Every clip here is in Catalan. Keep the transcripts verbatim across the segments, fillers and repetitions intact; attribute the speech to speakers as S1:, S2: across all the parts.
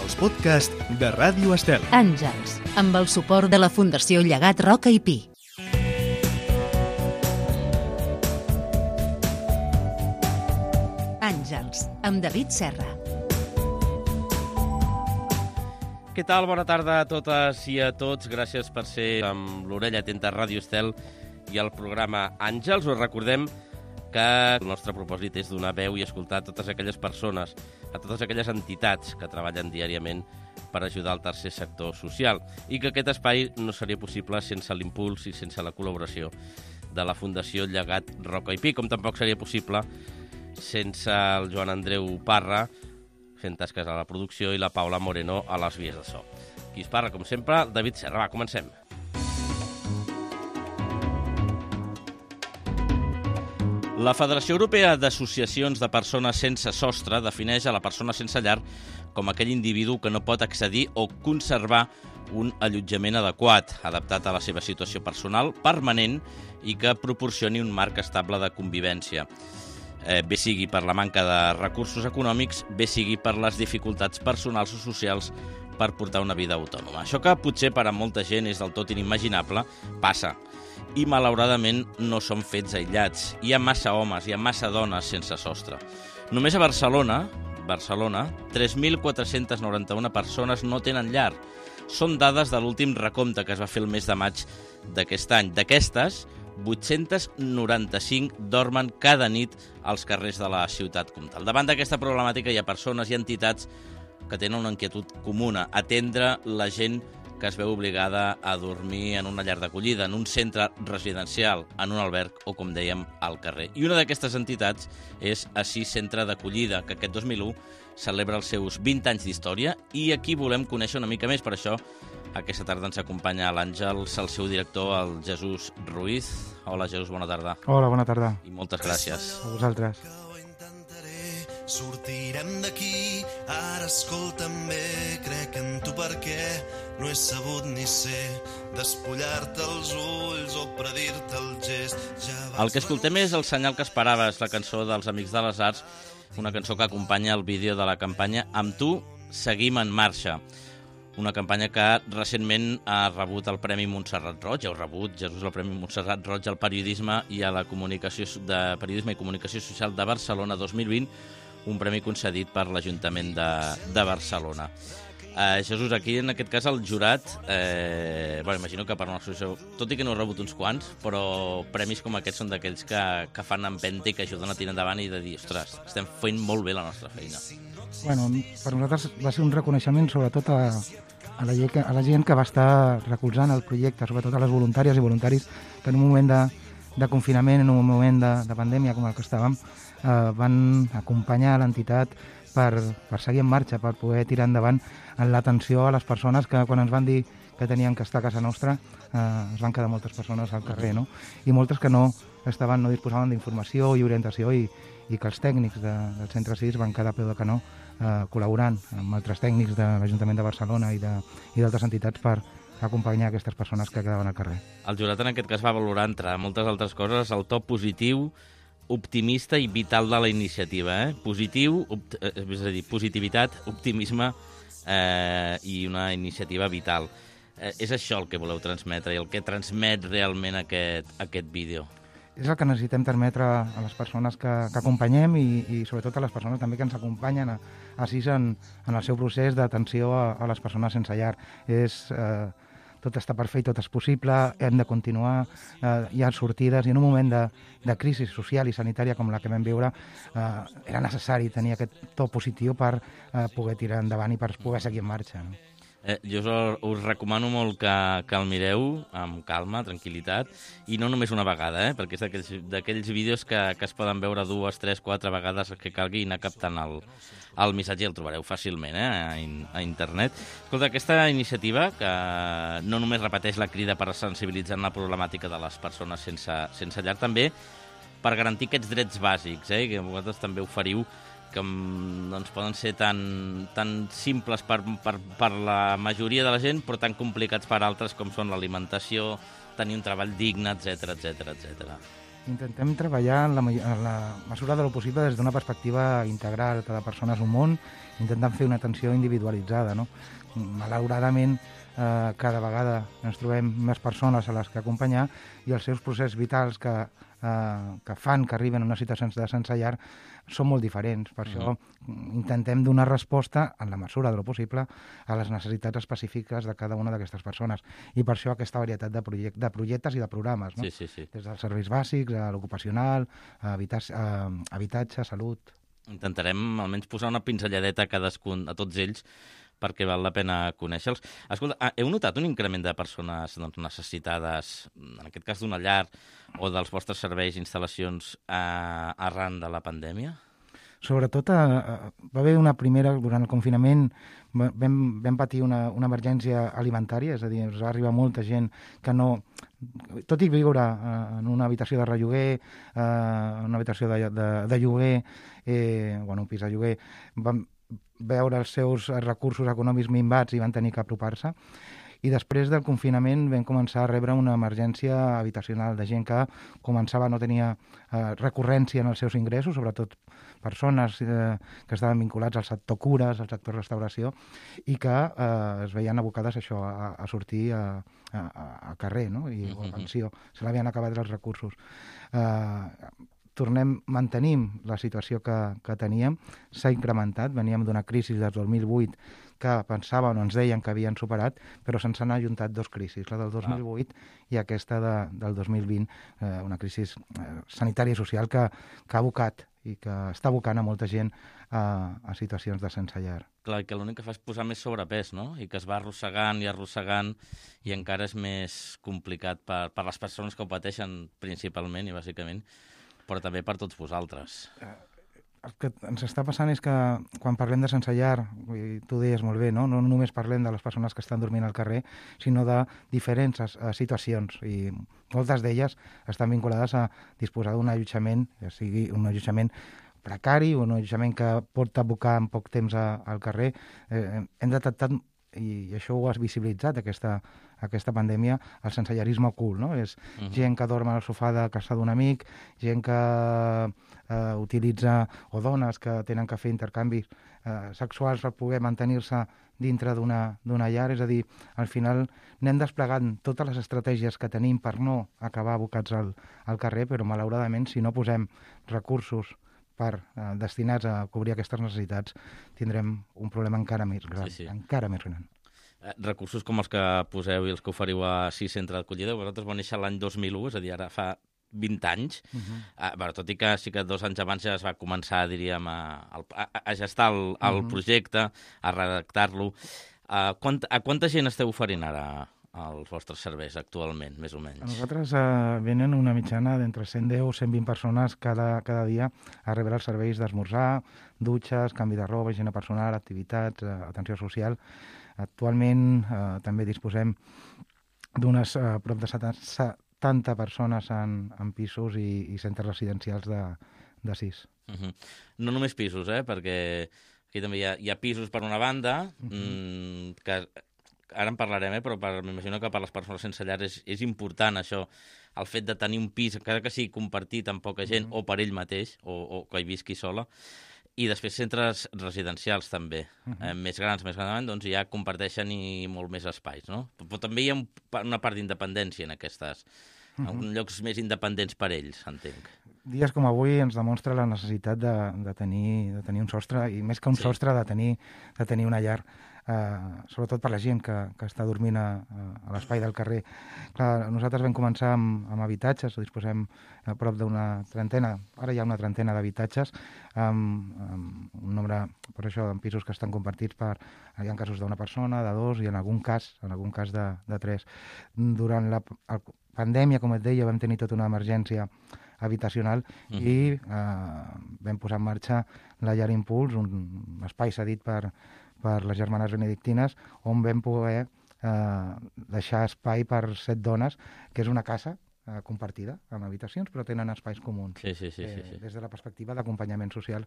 S1: els podcasts de Ràdio Estel.
S2: Àngels, amb el suport de la Fundació Llegat Roca i Pi. Àngels, amb David Serra.
S3: Què tal? Bona tarda a totes i a tots. Gràcies per ser amb l'orella atenta a Ràdio Estel i al programa Àngels. Us recordem que el nostre propòsit és donar veu i escoltar a totes aquelles persones, a totes aquelles entitats que treballen diàriament per ajudar al tercer sector social, i que aquest espai no seria possible sense l'impuls i sense la col·laboració de la Fundació Llegat Roca i Pi, com tampoc seria possible sense el Joan Andreu Parra fent tasques a la producció i la Paula Moreno a les vies de so. Qui es parla, com sempre, David Serra. Va, comencem. La Federació Europea d'Associacions de Persones Sense Sostre defineix a la persona sense llar com aquell individu que no pot accedir o conservar un allotjament adequat, adaptat a la seva situació personal, permanent i que proporcioni un marc estable de convivència. Eh, bé sigui per la manca de recursos econòmics, bé sigui per les dificultats personals o socials per portar una vida autònoma. Això que potser per a molta gent és del tot inimaginable, passa. I malauradament no són fets aïllats. Hi ha massa homes, hi ha massa dones sense sostre. Només a Barcelona, Barcelona, tres mil quatre-cents noranta-una persones no tenen llar. Són dades de l'últim recompte que es va fer el mes de maig d'aquest any. D'aquestes, vuit-cents noranta-cinc dormen cada nit als carrers de la ciutat comtal. Davant d'aquesta problemàtica hi ha persones i entitats que tenen una inquietud comuna, atendre la gent que es veu obligada a dormir en una llar d'acollida, en un centre residencial, en un alberg o, com dèiem, al carrer. I una d'aquestes entitats és Assís Centre d'Acollida, que aquest dos mil u celebra els seus vint anys d'història, i aquí volem conèixer una mica més. Per això, aquesta tarda ens acompanya l'Àngels, el seu director, el Jesús Ruiz. Hola, Jesús, bona tarda.
S4: Hola, bona tarda.
S3: I moltes gràcies.
S4: A vosaltres.
S5: Sortirem d'aquí, ara escolta'm bé, crec en tu perquè no he sabut ni ser despullar-te els ulls o predir-te el gest. Ja
S3: el que escoltem és El senyal que esperaves, la cançó dels Amics de les Arts, una cançó que acompanya el vídeo de la campanya Amb tu seguim en marxa. Una campanya que recentment ha rebut el Premi Montserrat Roig, heu rebut, Jesús, el Premi Montserrat Roig al periodisme i a la comunicació de periodisme i comunicació social de Barcelona dos mil vint, un premi concedit per l'Ajuntament de, de Barcelona. Eh, Jesús, aquí en aquest cas el jurat, eh, bueno, imagino que per una associació, tot i que no he rebut uns quants, però premis com aquests són d'aquells que, que fan empenta i que ajuden a tirar endavant i de dir, ostres, estem fent molt bé la nostra feina.
S4: Bueno, per nosaltres va ser un reconeixement sobretot a, a, la, gent, a la gent que va estar recolzant el projecte, sobretot a les voluntàries i voluntaris que en un moment de, de confinament, en un moment de, de pandèmia com el que estàvem, eh, van acompanyar l'entitat per, per seguir en marxa, per poder tirar endavant en l'atenció a les persones que quan ens van dir que tenien que estar a casa nostra eh, es van quedar moltes persones al carrer, no? I moltes que no estaven, no disposaven d'informació i orientació i, i que els tècnics de, del Centre sis van quedar a peu de canó eh, col·laborant amb altres tècnics de l'Ajuntament de Barcelona i d'altres entitats per acompanyar aquestes persones que quedaven al carrer.
S3: El jurat en aquest cas va valorar, entre moltes altres coses, el to positiu, optimista i vital de la iniciativa. Eh? Positiu, opt és a dir, positivitat, optimisme eh, i una iniciativa vital. Eh, és això el que voleu transmetre i el que transmet realment aquest, aquest vídeo.
S4: És el que necessitem transmetre a les persones que, que acompanyem i, i sobretot a les persones també que ens acompanyen a, a SIS en, en el seu procés d'atenció a, a les persones sense llar. És... Eh, tot està per fer i tot és possible, hem de continuar, eh, hi ha sortides, i en un moment de, de crisi social i sanitària com la que vam viure, eh, era necessari tenir aquest to positiu per eh, poder tirar endavant i per poder seguir en marxa. No?
S3: Eh, jo us, us recomano molt que, que el mireu amb calma, tranquil·litat, i no només una vegada, eh, perquè és d'aquells vídeos que, que es poden veure dues, tres, quatre vegades que calgui i anar captant el, el missatge, i el trobareu fàcilment eh, a, in, a internet. Escolta, aquesta iniciativa, que no només repeteix la crida per sensibilitzar en la problemàtica de les persones sense, sense llar, també per garantir aquests drets bàsics, eh, que vosaltres també oferiu, que doncs, poden ser tan, tan simples per, per, per la majoria de la gent, però tan complicats per altres com són l'alimentació, tenir un treball digne, etcètera, etcètera, etcètera.
S4: intentem treballar en la, en la mesura de lo possible des d'una perspectiva integral. Cada persona és un món, intentant fer una atenció individualitzada, no? Malauradament, eh, cada vegada ens trobem més persones a les que acompanyar i els seus processos vitals que, eh, que fan que arriben a unes situacions de sense llar són molt diferents. Per això mm. intentem donar resposta, en la mesura de lo possible, a les necessitats específiques de cada una d'aquestes persones. I per això aquesta varietat de, project de projectes i de programes, no?
S3: Sí, sí, sí.
S4: Des dels serveis bàsics, a l'ocupacional, a habitatge, a habitatge, salut.
S3: Intentarem almenys posar una pinzelladeta a cadascun, a tots ells, perquè val la pena conèixer-los. Escolta, heu notat un increment de persones doncs, necessitades, en aquest cas d'una llar, o dels vostres serveis i instal·lacions eh, arran de la pandèmia?
S4: Sobretot eh, va haver una primera, durant el confinament, vam, vam patir una, una emergència alimentària, és a dir, ens va arribar molta gent que no... Tot i viure eh, en una habitació de relloguer, eh, en una habitació de, de, de lloguer, eh, bueno, un pis de lloguer, vam veure els seus recursos econòmics minvats i van tenir que apropar-se. I després del confinament vam començar a rebre una emergència habitacional de gent que començava a no tenir eh, recurrència en els seus ingressos, sobretot persones eh, que estaven vinculats al sector cures, al sector restauració, i que eh, es veien abocades a això, a, a sortir a, a, a carrer, no? I, o a pensió. Se l'havien acabat els recursos. Eh, tornem, mantenim la situació que, que teníem, s'ha incrementat, veníem d'una crisi del dos mil vuit que pensàvem o ens deien que havien superat, però se'ns han ajuntat dos crisis, la del dos mil vuit i aquesta de, del dos mil vint, eh, una crisi eh, sanitària i social que, que ha abocat i que està abocant a molta gent a, a situacions de sense llar.
S3: Clar, que l'únic que fa és posar més sobrepès, no? I que es va arrossegant i arrossegant i encara és més complicat per, per les persones que ho pateixen principalment i bàsicament, però també per tots vosaltres.
S4: El que ens està passant és que quan parlem de sense llar, tu deies molt bé, no? No només parlem de les persones que estan dormint al carrer, sinó de diferents uh, situacions, i moltes d'elles estan vinculades a disposar d'un allotjament, ja sigui un allotjament precari o un allotjament que pot abocar en poc temps a, al carrer. Eh, hem detectat, i això ho has visibilitzat, aquesta, aquesta pandèmia, el sensellarisme ocult, no? És uh -huh. gent que dorm al sofà de casa d'un amic, gent que eh, utilitza, o dones que tenen que fer intercanvis eh, sexuals per poder mantenir-se dintre d'una llar. És a dir, al final anem desplegant totes les estratègies que tenim per no acabar abocats al, al carrer, però malauradament, si no posem recursos per, eh, destinats a cobrir aquestes necessitats, tindrem un problema encara més gran. Sí, sí. Encara més gran.
S3: Eh, recursos com els que poseu i els que oferiu a Sis Centre d'Acollida, vosaltres vau néixer l'any dos mil u, és a dir, ara fa vint anys, uh -huh. eh, bueno, tot i que sí que dos anys abans ja es va començar, diríem, a, a, a gestar el, el uh -huh. projecte, a redactar-lo. Eh, quant, a quanta gent esteu oferint ara als vostres serveis actualment, més o menys?
S4: A nosaltres eh, venen una mitjana d'entre cent deu o cent vint persones cada, cada dia a rebre els serveis d'esmorzar, dutxes, canvi de roba, higiene personal, activitats, eh, atenció social. Actualment eh, també disposem d'unes eh, prop de setanta persones en, en pisos i, i centres residencials de, de sis.
S3: Uh -huh. No només pisos, eh? Perquè aquí també hi ha, hi ha pisos per una banda, uh -huh. mmm, que ara en parlarem, eh? Però m'imagino que per les persones sense llar és, és important això, el fet de tenir un pis, encara que sigui compartit amb poca gent, uh -huh. o per ell mateix, o, o que hi visqui sola. I després centres residencials també, uh -huh. eh, més grans, més grans, doncs ja comparteixen i molt més espais, no? Però també hi ha un, una part d'independència en aquestes, uh -huh. en llocs més independents per ells, entenc.
S4: Dies com avui ens demostra la necessitat de, de, tenir, de tenir un sostre, i més que un sí. sostre, de tenir, de tenir una llar, eh, sobretot per la gent que, que està dormint a, a l'espai del carrer. Clar, nosaltres vam començar amb, amb habitatges, disposem a prop d'una trentena, ara hi ha una trentena d'habitatges, amb, amb un nombre, per això, en pisos que estan compartits per, hi ha casos d'una persona, de dos, i en algun cas, en algun cas de, de tres. Durant la el, pandèmia, com et deia, vam tenir tota una emergència habitacional uh -huh. i eh, vam posar en marxa la Llar Impuls, un espai cedit per, per les germanes benedictines, on vam poder eh, deixar espai per set dones, que és una casa eh, compartida amb habitacions, però tenen espais comuns.
S3: Sí, sí, sí,
S4: eh,
S3: sí, sí.
S4: Des de la perspectiva d'acompanyament social.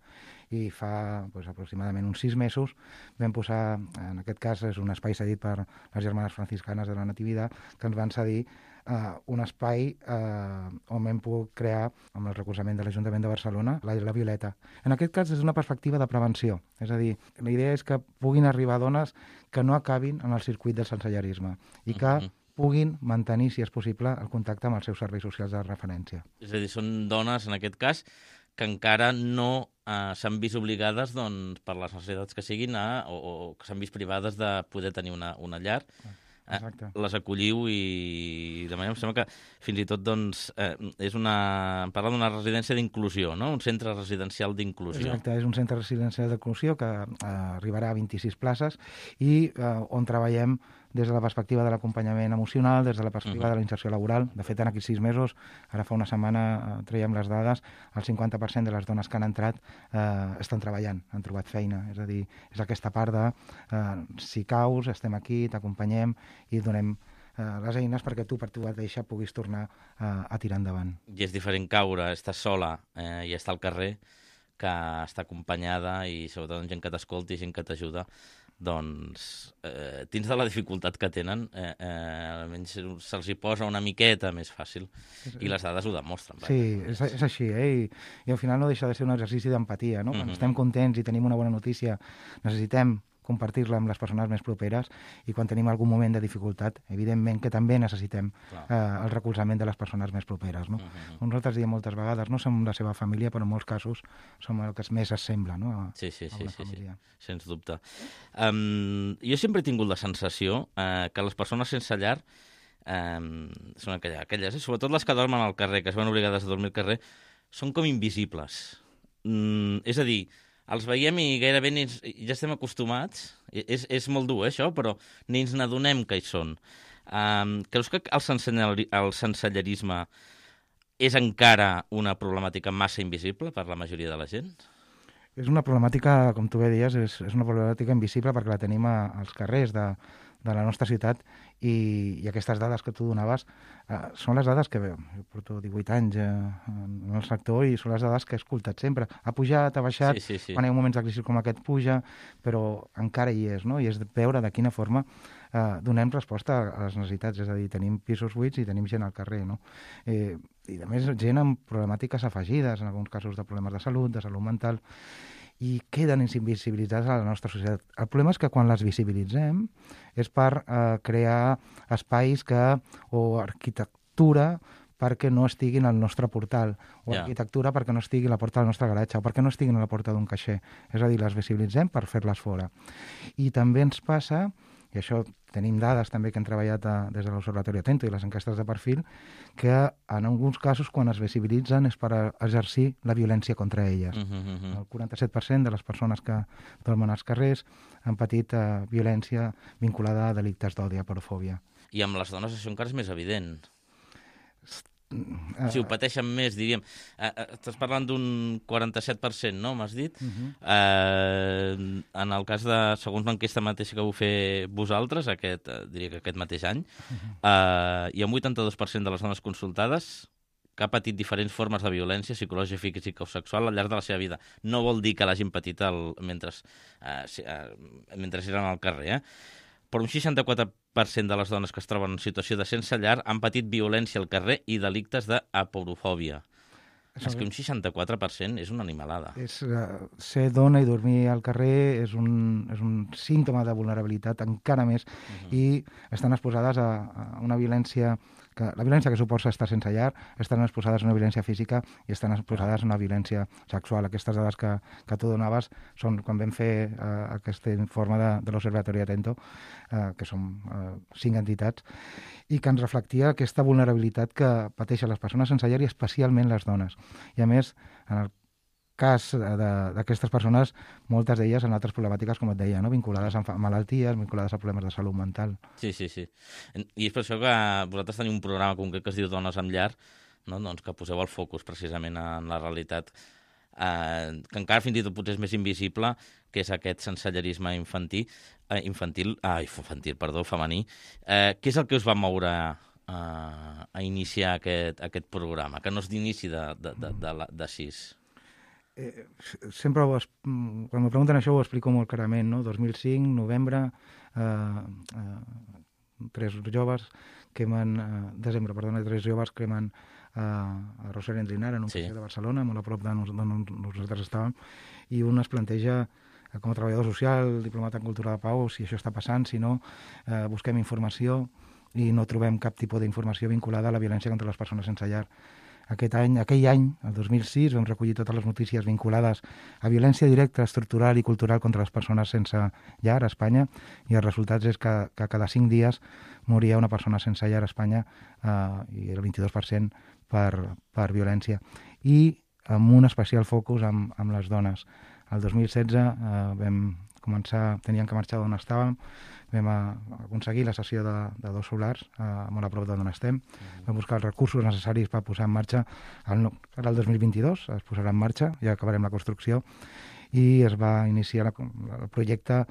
S4: I fa pues, aproximadament uns sis mesos vam posar, en aquest cas és un espai cedit per les germanes franciscanes de la Natividad, que ens van cedir uh, un espai uh, on hem pogut crear, amb el recolzament de l'Ajuntament de Barcelona, la, la Violeta. En aquest cas és una perspectiva de prevenció, és a dir, la idea és que puguin arribar dones que no acabin en el circuit del sensellarisme i que mm-hmm. puguin mantenir, si és possible, el contacte amb els seus serveis socials de referència.
S3: És a dir, són dones, en aquest cas, que encara no eh, s'han vist obligades, doncs, per les necessitats que siguin, a, o, o que s'han vist privades de poder tenir una, una llar.
S4: Exacte.
S3: Eh, les acolliu i de manera em sembla que fins i tot doncs, eh, és una... parla d'una residència d'inclusió, no? Un centre residencial d'inclusió.
S4: Exacte, és un centre residencial d'inclusió que eh, arribarà a vint-i-sis places i eh, on treballem des de la perspectiva de l'acompanyament emocional, des de la perspectiva uh-huh. de la inserció laboral. De fet, en aquests sis mesos, ara fa una setmana eh, traiem les dades, el cinquanta per cent de les dones que han entrat eh, estan treballant, han trobat feina. És a dir, és aquesta part de eh, si caus, estem aquí, t'acompanyem i donem eh, les eines perquè tu, per tu mateixa, puguis tornar eh, a tirar endavant.
S3: I és diferent caure, estar sola eh, i estar al carrer que estar acompanyada i sobretot amb gent que t'escolti, gent que t'ajuda. Doncs, eh, dins de la dificultat que tenen, eh, eh, almenys se'ls hi posa una miqueta més fàcil i les dades ho demostren.
S4: Sí, és, és així, eh? I, i al final no deixa de ser un exercici d'empatia, no? Quan mm-hmm. estem contents i tenim una bona notícia, necessitem compartir-la amb les persones més properes i quan tenim algun moment de dificultat, evidentment que també necessitem eh, el recolzament de les persones més properes. No? Uh-huh. Nosaltres diem moltes vegades, no som la seva família, però en molts casos som el que més es sembla, no? A,
S3: sí, sí,
S4: a
S3: sí,
S4: una
S3: sí,
S4: família.
S3: sí, sens dubte. Um, jo sempre he tingut la sensació eh, que les persones sense llar eh, són aquelles, aquelles eh, sobretot les que dormen al carrer, que es van obligades a dormir al carrer, són com invisibles. Mm, és a dir, els veiem i gairebé ni ens, ja estem acostumats. És, és molt dur, eh, això, però ni ens n'adonem que hi són. Um, creus que el, senselleri, el sensellerisme és encara una problemàtica massa invisible per la majoria de la gent?
S4: És una problemàtica, com tu bé dies, és, és una problemàtica invisible perquè la tenim a, als carrers de, de la nostra ciutat i, i aquestes dades que tu donaves eh, són les dades que, bé, jo porto divuit anys eh, en el sector i són les dades que he escoltat sempre. Ha pujat, ha baixat,
S3: sí, sí, sí.
S4: Quan hi ha moments de crisi com aquest puja, però encara hi és, no? I és de veure de quina forma eh, donem resposta a les necessitats, és a dir, tenim pisos buits i tenim gent al carrer, no? Eh, I a més gent amb problemàtiques afegides, en alguns casos de problemes de salut, de salut mental, i queden invisibilitzades a la nostra societat. El problema és que quan les visibilitzem és per eh, crear espais que, o arquitectura perquè no estiguin al nostre portal, o yeah. arquitectura perquè no estigui a la porta del nostre garatge, o perquè no estiguin a la porta d'un caixer. És a dir, les visibilitzem per fer-les fora. I també ens passa, i això tenim dades també que hem treballat a, des de l'Observatori Atento i les enquestes de perfil, que en alguns casos quan es visibilitzen és per exercir la violència contra elles. Uh -huh. El quaranta-set per cent de les persones que dormen als carrers han patit eh, violència vinculada a delictes d'odi, a porofòbia.
S3: I amb les dones això encara és més evident. Si ho pateixen més, diríem. Uh, uh, estàs parlant d'un quaranta-set per cent, no? M'has dit? Uh-huh. uh, en el cas de, segons l'enquesta mateixa que vau fer vosaltres, aquest, uh, diria que aquest mateix any, uh-huh. uh, hi ha un vuitanta-dos per cent de les dones consultades que ha patit diferents formes de violència psicològica, física o sexual al llarg de la seva vida. No vol dir que l'hagin patit el, mentre, uh, uh, mentre eren al carrer, eh? Però un seixanta-quatre per cent de les dones que es troben en situació de sense llar han patit violència al carrer i delictes d'aporofòbia. És que un seixanta-quatre per cent és una animalada.
S4: És, uh, ser dona i dormir al carrer és un, és un símptoma de vulnerabilitat encara més uh-huh. i estan exposades a, a una violència que la violència que suposa estar sense llar, estan exposades a una violència física i estan exposades a una violència sexual. Aquestes dades que, que tu donaves són quan vam fer uh, aquest informe de, de l'Observatori Atento, uh, que són uh, cinc entitats, i que ens reflectia aquesta vulnerabilitat que pateixen les persones sense llar i especialment les dones. I a més, en el cas d'aquestes persones, moltes d'elles en altres problemàtiques, com et deia, no? Vinculades a malalties, vinculades a problemes de salut mental.
S3: Sí, sí, sí. I és per això que vosaltres teniu un programa concret que es diu Dones amb llar, no? Doncs que poseu el focus precisament en la realitat, eh, que encara fins i tot potser és més invisible, que és aquest sensellerisme infantil, eh, infantil, ah, infantil, perdó, femení. Eh, què és el que us va moure a, a iniciar aquest, aquest programa, que no és d'inici de, de, de, de, de, de sis?
S4: Eh, sempre ho es, quan me pregunten això ho explico molt clarament, no? dos mil cinc, novembre, eh, eh, tres joves cremen, eh, desembre, perdona, tres joves cremen eh, a Rosario Endrinar, en un
S3: Sí.
S4: passeig de Barcelona, molt a prop d'on nos, nosaltres estàvem, i un es planteja, eh, com a treballador social, diplomat en cultura de pau, si això està passant, si no, eh, busquem informació i no trobem cap tipus d'informació vinculada a la violència contra les persones sense llar. Aquest any, aquell any, el dos mil sis, vam recollir totes les notícies vinculades a violència directa, estructural i cultural contra les persones sense llar a Espanya, i els resultats és que, que cada cinc dies moria una persona sense llar a Espanya, eh, i el vint-i-dos per cent per, per violència. I amb un especial focus amb, amb les dones. El dos mil setze eh, vam començar, teníem que marxar d'on estàvem, vam a, aconseguir la cessió de, de dos solars, eh, molt a prop d'on estem, mm-hmm. vam buscar els recursos necessaris per posar en marxa, el, serà el dos mil vint-i-dos, es posarà en marxa, ja acabarem la construcció, i es va iniciar la, el projecte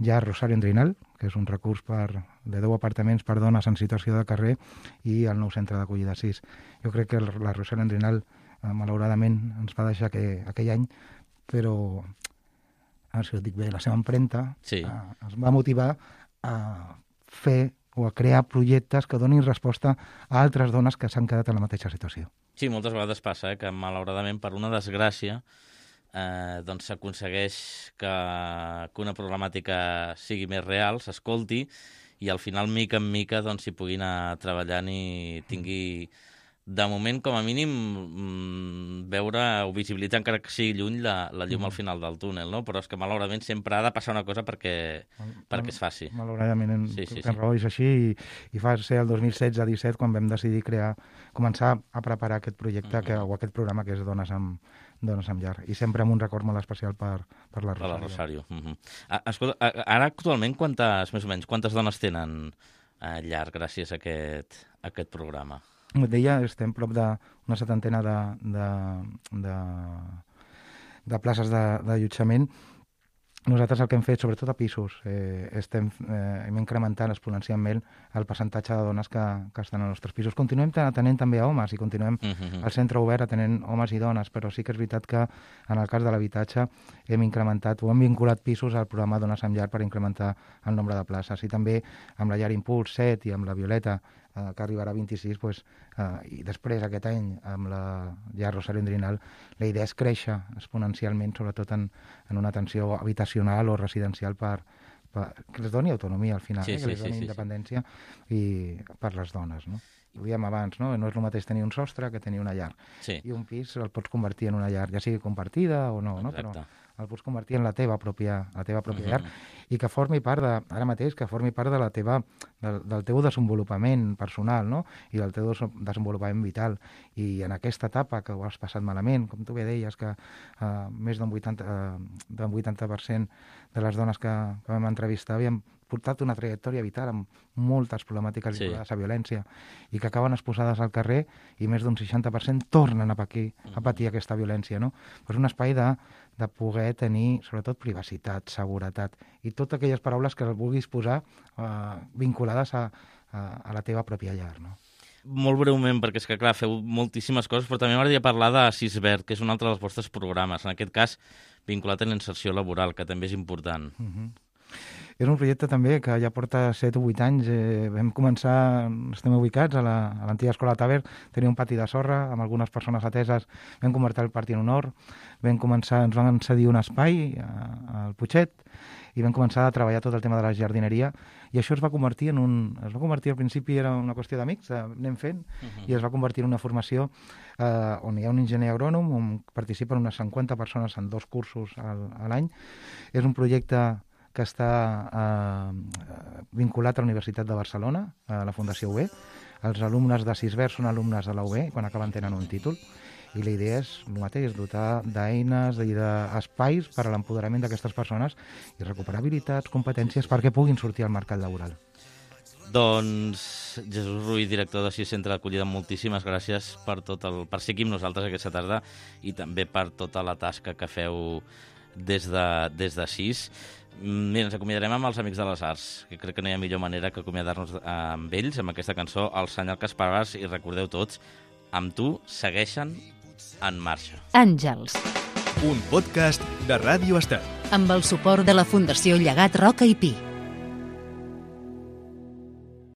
S4: ja Rosario Endrinal, que és un recurs per, de deu apartaments per dones en situació de carrer, i el nou centre d'acollida sis. Jo crec que el, la Rosario Endrinal, eh, malauradament, ens va deixar que, aquell any, però, ara si ho dic bé, la seva empremta
S3: Sí.
S4: eh, es va motivar a fer o a crear projectes que donin resposta a altres dones que s'han quedat en la mateixa situació.
S3: Sí, moltes vegades passa, eh, que malauradament per una desgràcia eh, doncs s'aconsegueix que, que una problemàtica sigui més real, s'escolti, i al final, mica en mica, doncs s'hi pugui anar treballant i tingui, de moment, com a mínim, mm, veure o visibilitzar, encara que sigui lluny, la, la llum al final del túnel, no? Però és que malauradament sempre ha de passar una cosa perquè, perquè es faci.
S4: Malauradament, en,
S3: Sí, sí,
S4: en
S3: sí.
S4: raó és així, i, i fa ser el dos mil setze disset quan vam decidir crear, començar a preparar aquest projecte que, o aquest programa que és Dones amb, Dones amb llar, i sempre amb un record molt especial per, per la
S3: Per
S4: Rosario.
S3: la Rosario. Uh -huh. ah, escolta, ah, ara actualment quantes, més o menys, quantes dones tenen a llar gràcies a aquest, a aquest programa?
S4: Com et deia, estem prop d'una setantena de, de, de, de places d'allotjament. Nosaltres el que hem fet, sobretot a pisos, eh, estem eh, hem incrementant exponencialment el percentatge de dones que, que estan als nostres pisos. Continuem atenent també a homes i continuem
S3: Uh -huh.
S4: al centre obert atenent homes i dones, però sí que és veritat que en el cas de l'habitatge hem incrementat o hem vinculat pisos al programa Dones amb llar per incrementar el nombre de places. I també amb la llar Impuls set i amb la Violeta, eh, que arribarà a vint-i-sis, pues, eh, i després aquest any amb la llar Rosario Endrinal, la idea és créixer exponencialment, sobretot en, en una atenció habitacional o residencial per, per, que les doni autonomia al final,
S3: Sí,
S4: eh,
S3: sí,
S4: que les
S3: sí,
S4: doni
S3: sí,
S4: independència i per les dones, no? Ho dèiem abans, no? No és el mateix tenir un sostre que tenir una llar.
S3: Sí,
S4: I un pis el pots convertir en una llar, ja sigui compartida o no, no? Però
S3: exacte.
S4: el pots convertir en la teva pròpia, la teva pròpia
S3: Mhm.
S4: llar, i que formi part de, ara mateix, que formi part de la teva, del, del teu desenvolupament personal, no? I del teu des- desenvolupament vital. I en aquesta etapa que ho has passat malament, com tu bé deies, que uh, més d'un vuitanta, uh, d'un vuitanta per cent de les dones que, que vam entrevistar havien portat una trajectòria vital amb moltes problemàtiques
S3: Sí.
S4: vinculades a violència i que acaben exposades al carrer, i més d'un seixanta per cent tornen a patir, a patir aquesta violència, no? Però és un espai de, de poder tenir, sobretot, privacitat, seguretat, i totes aquelles paraules que les vulguis posar eh, vinculades a, a, a la teva pròpia llar, no?
S3: Molt breument, perquè és que, clar, feu moltíssimes coses, però també m'agradaria parlar de Sisvert, que és un altre dels vostres programes, en aquest cas vinculat a la inserció laboral, que també és important.
S4: Uh-huh. És un projecte també que ja porta set o vuit anys. Eh, vam començar, estem ubicats a la- a l'antiga escola Taver, tenia un pati de sorra amb algunes persones ateses, vam convertir el pati en un hort, vam començar, ens van cedir un espai a- al Putxet i vam començar a treballar tot el tema de la jardineria, i això es va convertir en un... Es va convertir, al principi era una qüestió d'amics, eh, anem fent, i es va convertir en una formació eh, on hi ha un enginyer agrònom, on participen unes cinquanta persones en dos cursos al, a l'any. És un projecte que està eh, vinculat a la Universitat de Barcelona, a la Fundació U B. Els alumnes de Sisvert són alumnes de la U B i quan acaben tenen un títol. I la idea és el mateix, dotar d'eines i d'espais per a l'empoderament d'aquestes persones i recuperar habilitats, competències perquè puguin sortir al mercat laboral.
S3: Doncs, Jesús Ruiz, director de Sis Centre d'Acollida, moltíssimes gràcies per, tot el, per ser aquí amb nosaltres aquesta tarda i també per tota la tasca que feu des de, des de Sis. Mira, ens acomiadarem amb els Amics de les Arts, que crec que no hi ha millor manera que acomiadar-nos amb ells, amb aquesta cançó, El senyal que esperaves, i recordeu tots, amb tu segueixen en marxa.
S2: Àngels,
S1: Un podcast de Ràdio Estel.
S2: amb el suport de la Fundació Llegat Roca i Pi.